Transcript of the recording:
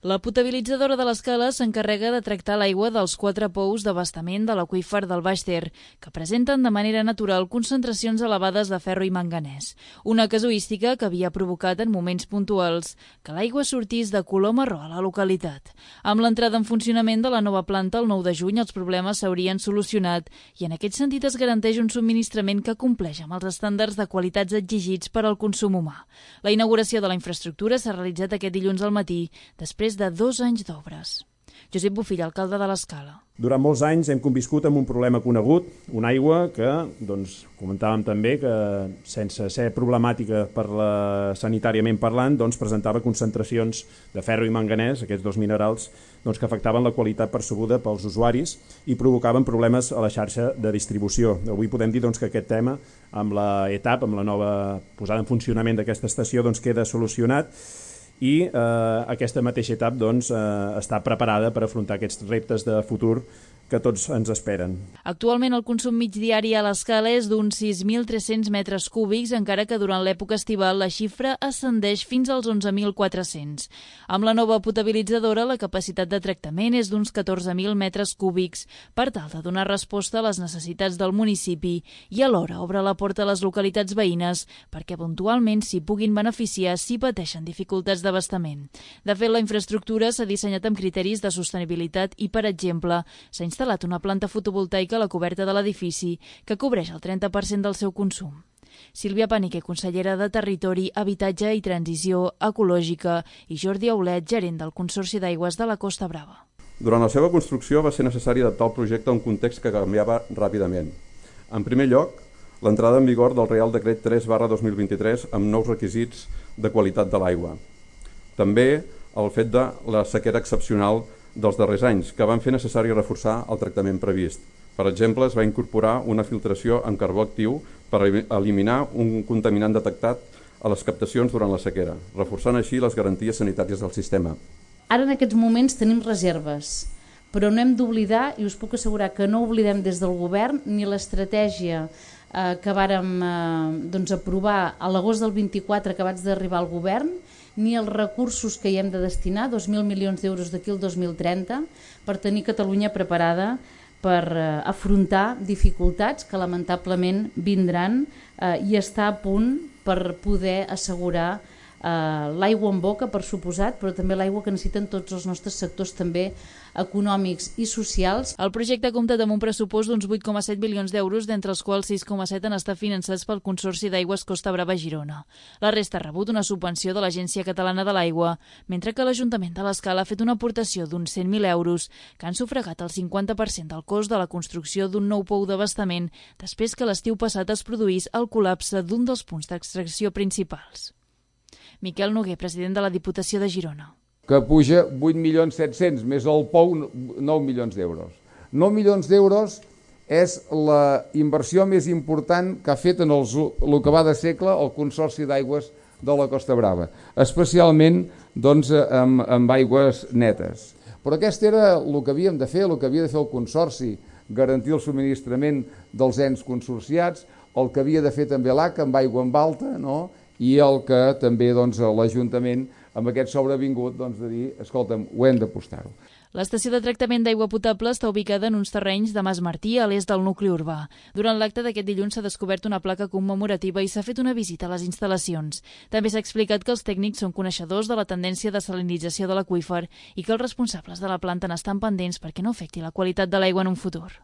La potabilitzadora de l'Escala s'encarrega de tractar l'aigua dels 4 pous d'abastament de l'aqüífer del Baix Ter, que presenten de manera natural concentracions elevades de ferro i manganès, una casuística que havia provocat en moments puntuals que l'aigua sortís de color marró a la localitat. Amb l'entrada en funcionament de la nova planta el 9 de juny els problemes s'haurien solucionat i en aquest sentit es garanteix un subministrament que compleix amb els estàndards de qualitats exigits per al consum humà. La inauguració de la infraestructura s'ha realitzat aquest dilluns al matí, després de 2 anys d'obres. Josep Bofill, alcalde de l'Escala. Durant molts anys hem conviscut amb un problema conegut, una aigua que, comentàvem també, que sense ser problemàtica sanitàriament parlant, presentava concentracions de ferro i manganès, aquests dos minerals, que afectaven la qualitat percebuda pels usuaris i provocaven problemes a la xarxa de distribució. Avui podem dir que aquest tema, amb la ETAP, amb la nova posada en funcionament d'aquesta estació, queda solucionat i aquesta mateixa etapa està preparada per afrontar aquests reptes de futur que tots ens esperen. Actualment el consum mig diari a l'Escala és d'uns 6.300 metres cúbics, encara que durant l'època estival la xifra ascendeix fins als 11.400. Amb la nova potabilitzadora la capacitat de tractament és d'uns 14.000 metres cúbics per tal de donar resposta a les necessitats del municipi i alhora obre la porta a les localitats veïnes perquè puntualment s'hi puguin beneficiar si pateixen dificultats d'abastament. De fet, la infraestructura s'ha dissenyat amb criteris de sostenibilitat i, per exemple, s'ha instal·lat una planta fotovoltaica a la coberta de l'edifici que cobreix el 30% del seu consum. Sílvia Panique, consellera de Territori, Habitatge i Transició Ecològica, i Jordi Aulet, gerent del Consorci d'Aigües de la Costa Brava. Durant la seva construcció va ser necessari adaptar el projecte a un context que canviava ràpidament. En primer lloc, l'entrada en vigor del Reial Decret 3/2023 amb nous requisits de qualitat de l'aigua. També el fet de la sequera excepcional dels darrers anys, que van fer necessari reforçar el tractament previst. Per exemple, es va incorporar una filtració amb carbó actiu per eliminar un contaminant detectat a les captacions durant la sequera, reforçant així les garanties sanitàries del sistema. Ara en aquests moments tenim reserves, però no hem d'oblidar, i us puc assegurar que no oblidem des del govern, ni l'estratègia que vàrem aprovar a l'agost del 24 acabats d'arribar al govern, ni els recursos que hi hem de destinar, 2.000 milions d'euros d'aquí al 2030, per tenir Catalunya preparada per afrontar dificultats que lamentablement vindran i estar a punt per poder assegurar l'aigua en boca, per suposat, però també l'aigua que necessiten tots els nostres sectors també econòmics i socials. El projecte ha comptat amb un pressupost d'uns 8,7 milions d'euros, d'entre els quals 6,7 han estat finançats pel Consorci d'Aigües Costa Brava Girona. La resta ha rebut una subvenció de l'Agència Catalana de l'Aigua, mentre que l'Ajuntament de l'Escala ha fet una aportació d'uns 100.000 euros que han sufragat el 50% del cost de la construcció d'un nou pou d'abastament després que l'estiu passat es produís el col·lapse d'un dels punts d'extracció principals. Miquel Noguer, president de la Diputació de Girona. Que puja 8.700.000, més el pou 9 milions d'euros. 9 milions d'euros és la inversió més important que ha fet en el que va de segle el Consorci d'Aigües de la Costa Brava, especialment amb aigües netes. Però aquest era el que havíem de fer, el que havia de fer el Consorci, garantir el subministrament dels ens consorciats, el que havia de fer també l'ACA amb aigua en alta, no?, i el que també l'Ajuntament amb aquest sobrevingut de dir, escolta'm, ho hem d'apostar-ho. L'estació de tractament d'aigua potable està ubicada en uns terrenys de Mas Martí, a l'est del nucli urbà. Durant l'acte d'aquest dilluns s'ha descobert una placa commemorativa i s'ha fet una visita a les instal·lacions. També s'ha explicat que els tècnics són coneixedors de la tendència de salinització de l'aqüífer i que els responsables de la planta n'estan pendents perquè no afecti la qualitat de l'aigua en un futur.